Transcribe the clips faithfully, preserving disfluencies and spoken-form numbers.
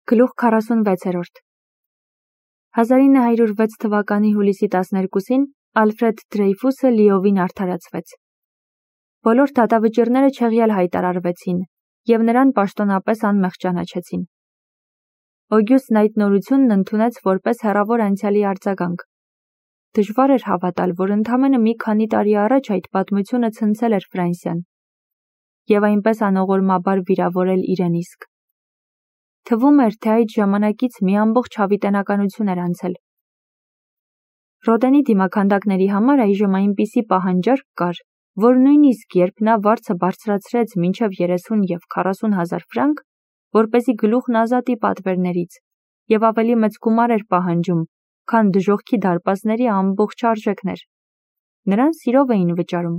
Գլուխ քառասունվեցերորդ հազար ինը հարյուր վեց թվականի հուլիսի տասներկուսին Ալֆրեդ Դրեյֆուսը լիովին արդարացվեց։ Բոլոր դատավճիռները չեղյալ հայտարարվեցին և նրան պաշտոնապես անմեղ ճանաչեցին։ Օգյուստն այդ նորությունն ընդունեց որպես հեռավոր անցյալի արձագանք։ Դժվար էր հավատալ, որ ընդամենը մի քանի տարի առաջ այդ պատմությունը ցնցել էր Ֆրանսիան և այնպես անողորմաբար վիրավորել իրեն իսկ։ Թվում էր, թե այդ ժամանակից մի ամբողջ հավիտենականություն էր անցել։ Ռոդենի դիմաքանդակների համար այժմ այնպիսի պահանջարկ կար, որ նույնիսկ երբ նա վարձը բարձրացրեց մինչև երեսուն և քառասուն հազար ֆրանկ, որպեսզի գլուխն ազատի պատվերներից, և ավելի մեծ գումար էր պահանջում, քան դժոխքի դարպասների ամբողջ արժեքն էր, նրան սիրով էին վճարում։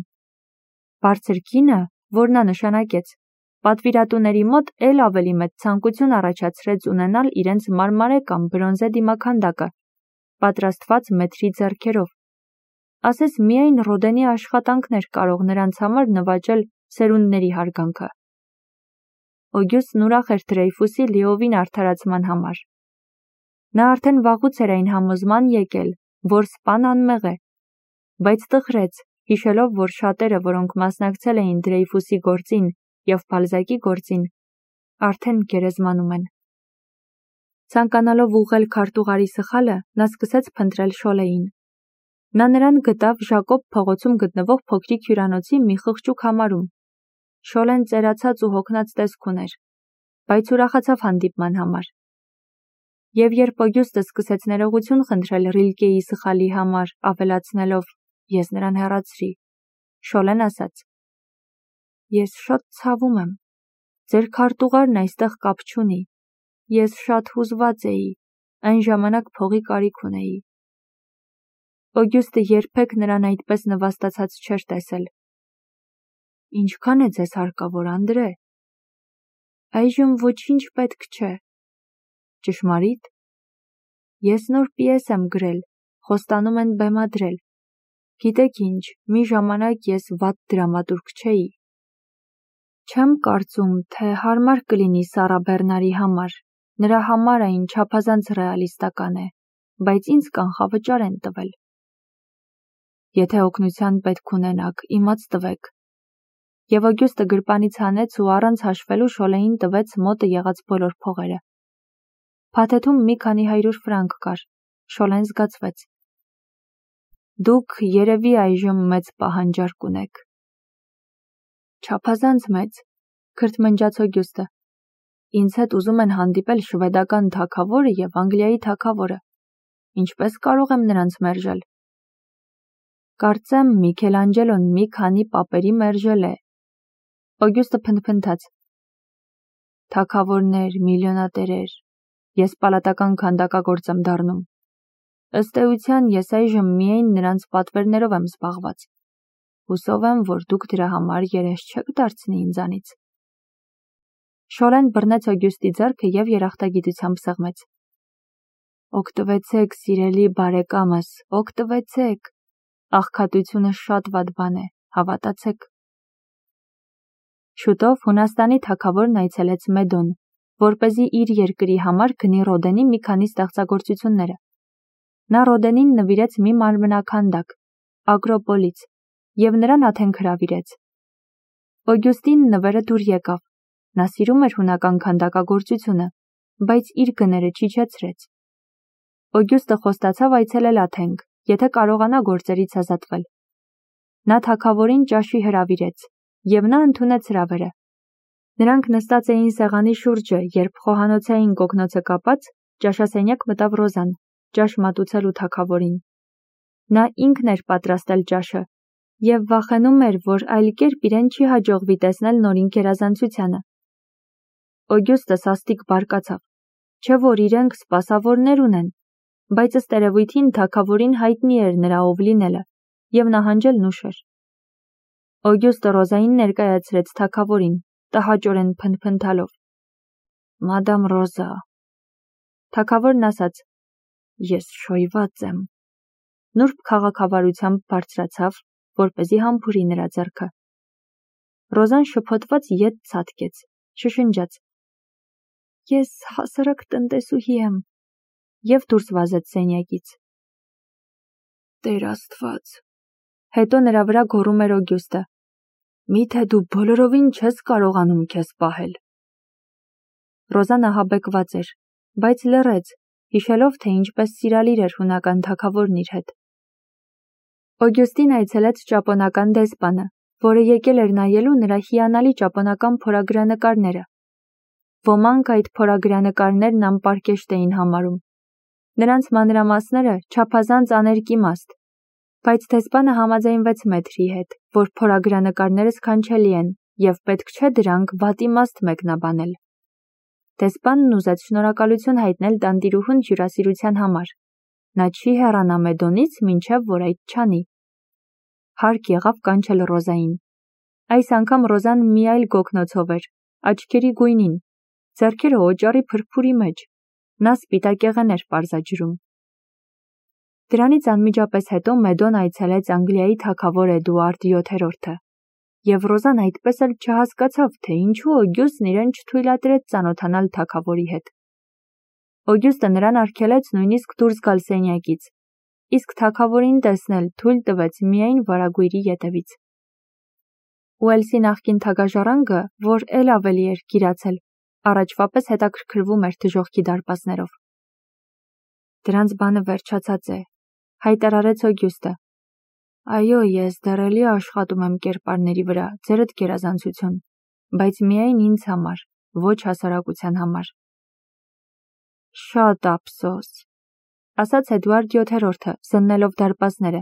Բարձր գինը, որ նա նշանակեց, պատվիրատուների մոտ էլ ավելի մեծ ցանկություն առաջացրեց ունենալ իրենց մարմարե կամ բրոնզե դիմաքանդակը, պատրաստված մեթրի ձեռքերով։ Ասես միայն Ռոդենի աշխատանքն էր կարող նրանց համար նվաճել սերունդների հարգանքը։ Օգյուստն ուրախ էր Դրեյֆուսի լիովին արդարացման համար։ Նա արդեն վաղուց էր այն համոզման եկել, որ սպան անմեղ է, բայց տխրեց, հիշելով, որ շատերը, որոնք մասնակցել էին Դրեյֆուսի գործին և Բալզակի գործին, արդեն գերեզմանում են։ Ցանկանալով ուղղել քարտուղարի սխալը, նա սկսեց փնտրել Շոլեին։ Նա նրան գտավ Ժակոբ փողոցում գտնվող փոքրիկ հյուրանոցի մի խղճուկ համարում։ Շոլեն ծերացած ու հոգնած տեսք ուներ, բայց ուրախացավ հանդիպման համար։ Եվ երբ Օգյուստը սկսեց ներողություն խնդրել Ռիլկեի սխալի համար, ավելացնելով. «Ես նրան հեռացրի», Շոլեն ասաց. «Ես շատ ցավում եմ, ձեր քարտուղարն այստեղ կապ չունի, ես շատ հուզված էի, այն ժամանակ փողի կարիք ունեի»։ Օգյուստը երբեք նրան այդպես նվաստացած չէր տեսել։ «Ինչքան է ձեզ հարկավոր, Անդրե»։ «Այժմ ոչինչ պետք չէ»։ «Ճշմարի՞տ»։ «Ես նոր պիես եմ գրել, խոստանում են բեմադրել։ Գիտեք ինչ, մի ժամանակ ես վատ դրամատուրգ չէի։ Չեմ կարծում, թե հարմար կլինի Սառա Բեռնարի համար, նրա համար այն չափազանց ռեալիստական է, բայց ինձ կանխավճար են տվել։ Եթե օգնության պետք ունենաք, իմաց տվեք»։ Եվ Օգյուստը գրպանից հանեց ու առանց հաշվելու Շոլեին տվեց մոտը եղած բոլոր փողերը։ Փաթեթում մի քանի հարյուր ֆրանկ կար։ Շոլեն զգացվեց։ «Դուք երևի այժմ մեծ պահանջարկ ունեք»։ «Չափազանց մեծ», քրթմնջաց Օգյուստը։ «Ինձ հետ ուզում են հանդիպել շվեդական թագավորը և Անգլիայի թագավորը։ Ինչպես կարող եմ նրանց մերժել»։ «Կարծեմ Միքելանջելոն մի քանի պապերի մերժել է»։ Օգյուստը փնթփնթաց։ «Թագավորներ, միլիոնատերեր, ես պալատական քանդակագործ եմ դառնում։ Ըստ էության ես այժմ միայն նրանց պատվերներով եմ զբաղված։ Հուսով եմ, որ դուք դրա համար երես չեք դարձնի ինձանից»։ Շոլեն բռնեց Օգյուստի ձեռքը և երախտագիտությամբ սեղմեց։ «Օգտվեցեք, սիրելի բարեկամս, օգտվեցեք։ Աղքատությունը շատ վատ բան է, հավատացեք»։ Շուտով Հունաստանի թագավորն այցելեց Մեդոն, որպեսզի իր երկրի համար գնի Ռոդենի մի քանի ստեղծագործությունները։ Նա Ռոդենին նվիրեց մի մանրանկանդակ, Ագրոպոլից, և նրան աթենք հրավիրեց։ Օգյուստին նվերը դուր եկավ։ Նա սիրում էր հունական քանդակագործությունը, բայց իր գները չիջեցրեց։ Օգյուստը խոստացավ այցելել աթենք, եթե կարողանա գործերից ազատվել։ Նա թագավորին ճաշի հրավիրեց, և նա ընդունեց հրավերը։ Նրանք նստած էին սեղանի շուրջը, երբ խոհանոցային կոկնոցը կապած, ճաշասենյակ մտավ Ռոզան, ճաշ մատուցելու թագավորին։ Նա ինքն էր պատրաստել ճաշը և վախենում էր, որ այլ կերպ իրեն չի հաջողվի տեսնել նորին գերազանցությանը։ Օգյուստը սաստիկ բարկացավ, չէ որ իրենք սպասավորներ ունեն, բայց ըստ երևույթին թագավորին հայտնի էր նրա ով լինելը, և նահանջելն ուշ էր։ Օգյուստը Ռոզային ներկայացրեց թագավորին, տհաճորեն փնթփնթալով. «Մադամ Ռոզա»։ Թագավորն ասաց. «Ես շոյված եմ»։ Նուրբ քաղաքավարությամբ բարձրացավ, որպեսզի համբուրի նրա ձեռքը։ Ռոզան շփոթված ետ ցատկեց, շշնջաց. Ես հասարակ տնտեսուհի եմ, և դուրս վազեց սենյակից։ Տեր Աստված, հետո նրա վրա գոռում էր Օգյուստը, միթե դու բոլորովին չես կարողանում քեզ պահել։ Ռոզան ահաբեկված էր, բայց լռեց, հիշելով, թե ինչպես սիրալիր էր հունական թագավորն իր հետ։ Օգյուստին այցելեց ճապոնական դեսպանը, որը եկել էր նայելու նրա հիանալի ճապոնական փորագրանկարները։ Ոմանք այդ փորագրանկարներն անպարկեշտ էին համարում։ Նրանց մանրամասները չափազանց աներկիմաստ, բայց դեսպանը համաձայնվեց մեթրի հետ, որ փորագրանկարները սքանչելի են և պետք չէ դրանք վատիմաստ մեկնաբանել։ Դեսպանն ուզեց շնորհակալություն հայտնել տանտիրուհուն հյուրասիրության համար։ Նա չի հեռանա Մեդոնից, մինչև որ այդ չանի։ Հարկ եղավ կանչել Ռոզային։ Այս անգամ Ռոզան մի այլ գոգնոցով էր, աչքերի գույնին, ձեռքերը օճառի փրփուրի մեջ, նա սպիտակեղեն էր պարզաջրում։ Դրանից անմիջապես հետո Մեդոն այցելեց Անգլիայի թագավոր Էդուարդ յոթերորդը, և Ռոզան այդպես էլ չհասկացավ, թե ինչու Օգյուստն իրեն չթույլատրեց ծանոթանալ թագավորի հետ։ Օգյուստը նրան արգելեց նույնիսկ դուրս գալ սենյակից, իսկ թագավորին տեսնել թույլ տվեց միայն վարագույրի ետևից։ Ուելսի նախկին թագաժառանգը, որ էլ ավելի էր գիրացել, առաջվա պես հետաքրքրվում էր դժոխքի դարպասներով։ Դրանց բանը վերջացած է, հայտարարեց Օգյուստը։ Այո, ես դեռ էլի աշխատում եմ կերպարների վրա, ձերդ գերազանցություն, բայց միայն ինձ համար, ոչ հասարակության համար։ Շատ ափսոս, ասաց Էդուարդ յոթերորդը, զննելով դարպասները։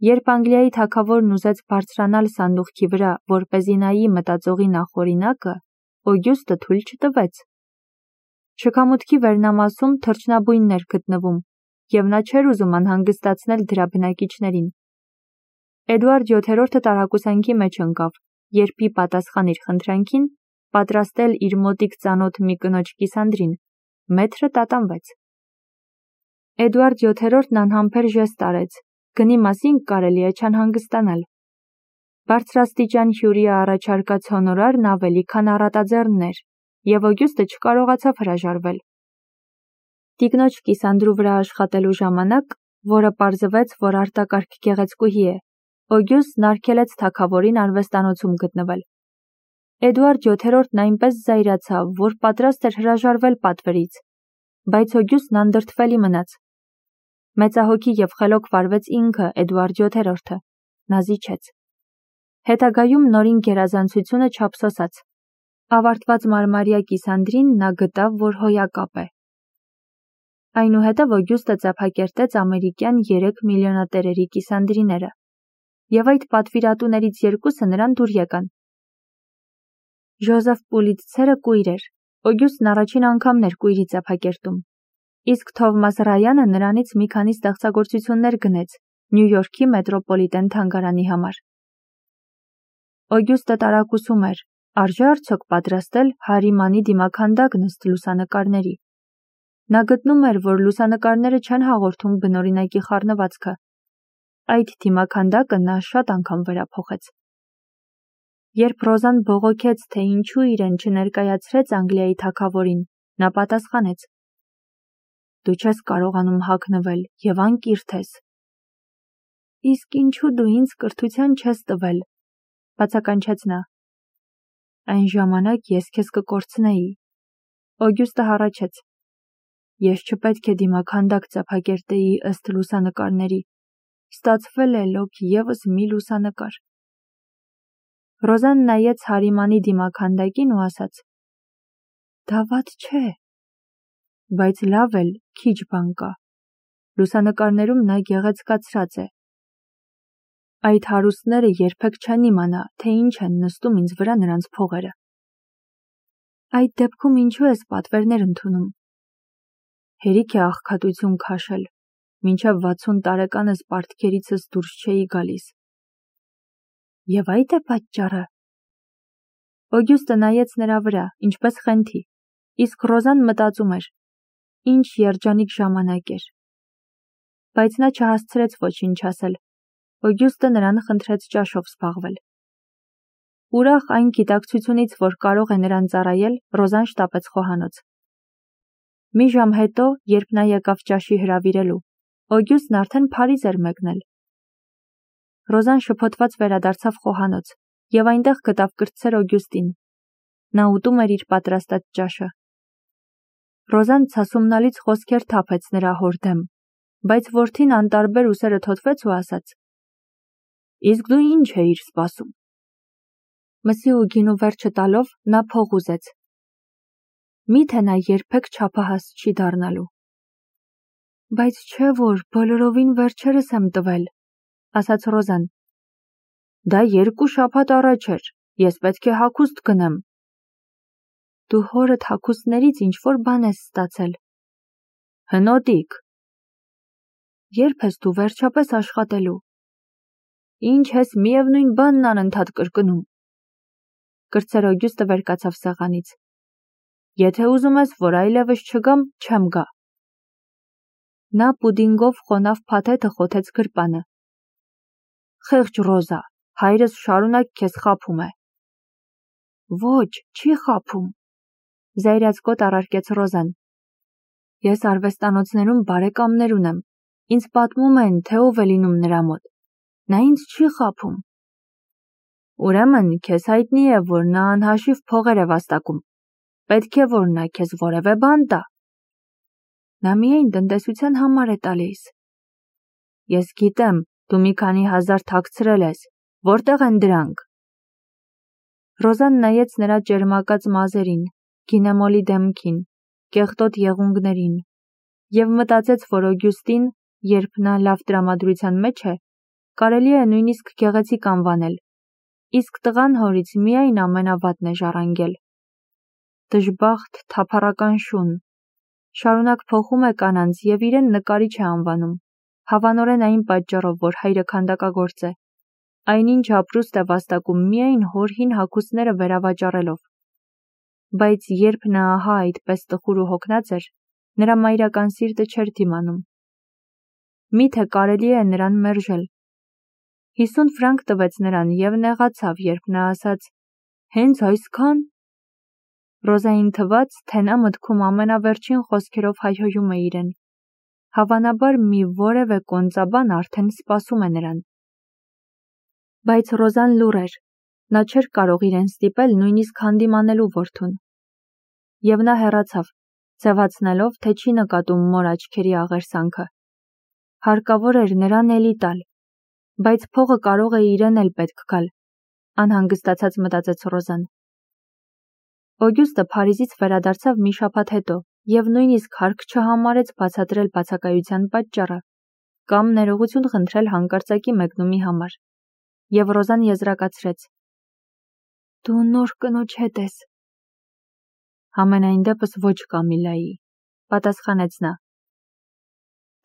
Երբ Անգլիայի թագավորն ուզեց բարձրանալ սանդուղքի վրա, որպեսզի նայի մտածողի նախօրինակը, Օգյուստը թույլ չտվեց։ Շքամուտքի վերնամասում թռչնաբույնն էր գտնվում, և նա չէր ուզում անհանգստացնել դրա բնակիչներին։ Էդուարդ յոթերորդը տարակուսանքի մեջ ընկավ, երբ ի պատասխան իր խնդրանքին պատրաստել իր մոտիկ ծանոթ մի կնոջ կիսանդրին, մեթրը տատանվեց։ Էդուարդ յոթերորդն անհամբեր ժեստ արեց, գնի մասին կարելի է չանհանգստանալ։ Բարձրաստիճան հյուրի առաջարկած հոնորարն ավելի քան առատաձեռն էր, և Օգյուստը չկարողացավ հրաժարվել։ Տիկնոջ կիսանդրու վրա աշխատելու ժամանակ, որը պարզվեց, որ արտակարգ գեղեցկուհի է, Օգյուստն արգելեց թագավորին արվեստանոցում գտնվել։ Էդուարդ յոթերորդն այնպես զայրացավ, որ պատրաստ էր հրաժարվել պատվերից, բայց Օգյուստն անդրդվելի մնաց։ Մեծահոգի և խելոք վարվեց ինքը Էդուարդ յոթերորդը, նա զիջեց։ Հետագայում նորին գերազանցությունը չափսոսաց։ Ավարտված մարմարյա կիսանդրին նա գտավ, որ հոյակապ է։ Այնուհետև Օգյուստը ծափակերտեց ամերիկյան երեք միլիոնատերերի կիսանդրիները, և այդ պատվիրատուներից երկուսը նրան դուր եկան։ Ժոզեֆ Պուլիցցերը կույր էր, Օգյուստն առաջին անգամն էր կույրի ծափակերտում, իսկ Թովմաս Ռայանը նրանից մի քանի ստեղծագործություններ գնեց Նյու Յորքի մետրոպոլիտեն թանգարանի համար։ Օգյուստը տարակուսում էր, արժե արդյոք պատրաստել Հարիմանի դիմաքանդակն ըստ լուսանկարների։ Նա գտնում էր, որ լուսանկարները չեն հաղորդում բնօրինակի խառնվածքը։ Այդ դիմաքանդակը նա շատ անգամ վերափոխեց։ Երբ Ռոզան բողոքեց, թե ինչու իրեն չներկայացրեց Անգլիայի թագավորին, նա պատասխանեց. Դու չես կարողանում հագնվել և անկիրթ ես։ Իսկ ինչու դու ինձ կրթության չես տվել, բացականչեց նա։ Այն ժամանակ ես քեզ կկորցնեի։ Օգյուստը հառաչեց. Ես չպետք է դիմաքանդակ ծափակերտեի ըստ լուսանկարների։ Ստացվել է լոկ ևս մի լուսանկար։ Ռոզան նայեց Հարիմանի դիմաքանդակին ու ասաց. Դա վատ չէ, բայց լավ էլ քիչ բան կա։ Լուսանկարներում նա գեղեցկացրած է։ Այդ հարուստները երբեք չեն իմանա, թե ինչ են նստում ինձ վրա նրանց փողերը։ Այդ դեպքում ինչու ես պատվերներ ընդունում։ Հերիք է աղքատություն քաշել, մինչև վաթսուն տարեկանս պարտքերիցս դուրս չէի գալիս։ Եվ այդ է պատճառը։ Օգյուստը նայեց նրա վրա, ինչպես խենթի, իսկ Ռոզան մտածում էր. ինչ երջանիկ ժամանակ էր։ Բայց նա չհասցրեց ոչինչ ասել։ Օգյուստը նրան խնդրեց ճաշով զբաղվել։ Ուրախ այն գիտակցությունից, որ կարող է նրան ծառայել, Ռոզան շտապեց խոհանոց։ Մի ժամ հետո, երբ նա եկավ ճաշի հրավիրելու, Օգյուստն արդեն Փարիզ էր մեկնել։ Ռոզան շփոթված վերադարձավ խոհանոց և այնտեղ գտավ կրտսեր Օգյուստին։ Նա ուտում էր իր պատրաստած ճաշը։ Ռոզան ցասումնալից խոսքեր թափեց նրա հոր դեմ, բայց որդին անտարբեր ուսերը թոթվեց ու ասաց. «Իսկ դու ինչ էիր սպասում»։ Մսի ու գինու վերջը տալով նա փող ուզեց։ Միթե նա երբեք չափահաս չի դառնալու։ Բայց չէ որ բոլորովին վերջերս եմ տվել, ասաց Ռոզան։ Դա երկու շաբաթ առաջ էր, ես պետք է հագուստ գնեմ։ Դու հորդ հագուստներից ինչ-որ բան ես ստացել։ Հնոտիկ։ Երբ ես դու վերջապես աշխատելու։ Ինչ ես միևնույն բանն անընդհատ կրկնում։ Կրտսեր Օգյուստը վեր կացավ սեղանից։ Եթե ուզում ես, որ այլևս չգամ, չեմ գա։ Նա պուդինգով խոնավ փաթեթը խոթեց գրպանը։ Խեղճ Ռոզա, հայրս շարունակ քեզ խաբում է։ Ոչ, չի խաբում։ Զայրացկոտ առարկեց Ռոզան։ Ես արվեստանոցներում բարեկամներ ունեմ։ Ինձ պատմում են, թե ով է լինում նրա մոտ։ Նա ինձ չի խաբում։ Ուրեմն քեզ հայտնի է, որ նա անհաշիվ փողեր է վաստակում։ Պետք է, որ նա քեզ որևէ բան տա։ Նա միայն տնտեսության համար է տալիս։ Ես գիտեմ, դու մի քանի հազար թաքցրել ես, որտեղ են դրանք։ Ռոզան նայեց նրա ճերմակած մազերին, գինեմոլի դեմքին, կեղտոտ եղունգներին և մտածեց, որ Օգյուստին, երբ նա լավ տրամադրության մեջ է, կարելի է նույնիսկ գեղեցիկ անվանել, իսկ տղան հորից միայն ամենավատն է ժառանգել։ Դժբախտ, թափառական շուն, շարունակ փոխում է կանանց և իրեն նկարիչ է անվանում, հավանորեն այն պատճառով, որ հայրը քանդակագործ է, այնինչ ապրուստ է վաստակում միայն հոր հին հագուստները վերավաճառելով։ Բայց երբ նա ահա այդպես տխուր ու հոգնած էր, նրա մայրական սիրտը չէր դիմանում։ Միթե կարելի է նրան մերժել։ Հիսուն ֆրանկ տվեց նրան և նեղացավ, երբ նա ասաց. Հենց այսքան։ Ռոզային թվաց, թե նա մտքում ամենավերջին խոսքերով հայհոյում է իրեն։ Հավանաբար մի որևէ կոնծաբան արդեն սպասում է նրան։ Բայց Ռոզան լուռ էր։ Նա չէր կարող իրեն ստիպել նույնիսկ հանդիմանելու որդուն։ Եվ նա հեռացավ, ձևացնելով, թե չի նկատում մոր աչքերի աղերսանքը։ Հարկավոր էր նրան էլի տալ, բայց փողը կարող է իրեն էլ պետք գալ, անհանգստացած մտածեց Ռոզան։ Օգյուստը Փարիզից վերադարձավ մի շաբաթ հետո և նույնիսկ հարկ չհամարեց բացատրել բացակայության պատճառը կամ ներողություն խնդրել հանկարծակի մեկնումի համար։ Եվ Ռոզան եզրակացրեց. Դու նոր կնոջ հետ ես։ Համենայն դեպս ոչ Կամիլայի, պատասխանեց նա։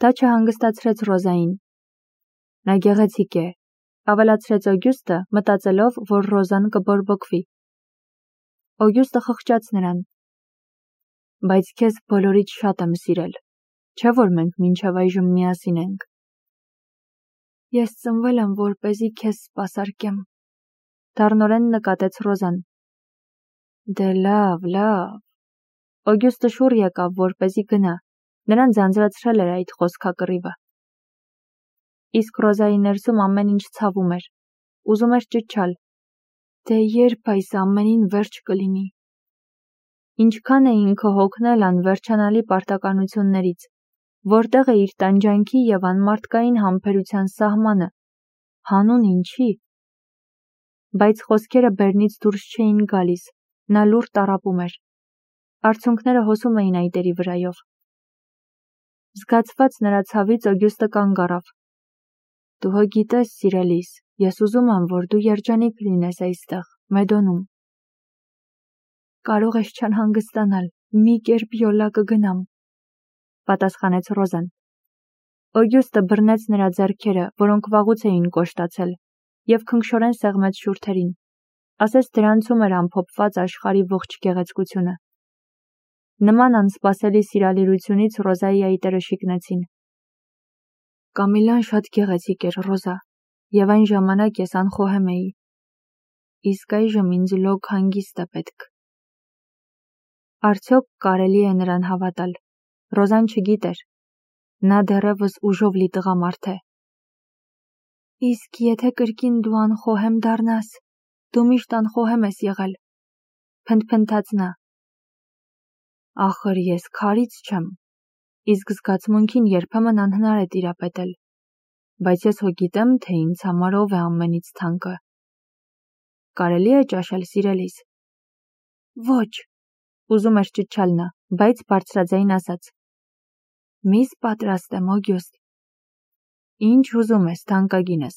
Դա չհանգստացրեց Ռոզային։ Նա գեղեցիկ է, ավելացրեց Օգյուստը, մտածելով, որ Ռոզան կբորբոքվի։ Օգյուստը խղճաց նրան։ Բայց քեզ բոլորից շատ եմ սիրել, չէ՞ որ մենք մինչև այժմ միասին ենք։ Ես ծնվել եմ, որպեսզի քեզ սպասարկեմ, դառնորեն նկատեց Ռոզան։ Դե լավ, լավ։ Օգյուստը շուռ եկավ, որպեսզի գնա, նրան ձանձրացրել էր այդ խոսքակռիվը։ Իսկ Ռոզայի ներսում ամեն ինչ ցավում էր, ուզում էր ճչալ. Դե երբ այս ամենին վերջ կլինի։ Ինչքան է ինքը հոգնել անվերջանալի պարտականություններից, որտեղ է իր տանջանքի և անմարդկային համբերության սահմանը, հանուն ինչի։ Բայց խոսքերը բերնից դուրս չէին գալիս, նա լուռ տառապում էր։ Արցունքները հոսում էին այտերի վրայով։ Զգացված նրա ցավից Օգյուստը կանգ առավ։ Դու հո գիտես, սիրելիս, ես ուզում եմ, որ դու երջանիկ լինես այստեղ, Մեդոնում։ Կարող ես չանհանգստանալ, մի կերպ յոլա կգնամ, պատասխանեց Ռոզան։ Օգյուստը բռնեց նրա ձեռքերը, որոնք վաղուց էին կոշտացել, և քնքշորեն սեղմեց շուրթերին, ասես դրանցում էր ամփոփված աշխարհի ողջ գեղեցկությունը։ Նման անսպասելի սիրալիրությունից Ռոզայի այտերը շիկնեցին։ Կամիլան շատ գեղեցիկ էր, Ռոզա, և այն ժամանակ ես անխոհեմ էի։ իսկ այժմ ինձ լոկ հանգիստ է պետք։ Արդյոք կարելի է նրան հավատալ։ Ռոզան չգիտեր։ Նա դեռևս ուժով լի տղամարդ է։ Իսկ եթե կրկին դու անխոհեմ դառնաս, դու միշտ անխոհեմ ես եղել, փնթփնթաց նա։ Ախր ես քարից չեմ, իսկ զգացմունքին երբեմն անհնար է տիրապետել, բայց ես հո գիտեմ, թե ինձ համար ով է ամենից թանկը։ Կարելի է ճաշել, սիրելիս։ Ոչ, ուզում էր ճչալ նա, բայց բարձրաձայն ասաց. Միս պատրաստ եմ, Օգյուստ։ Ինչ ուզում ես, թանկագինս։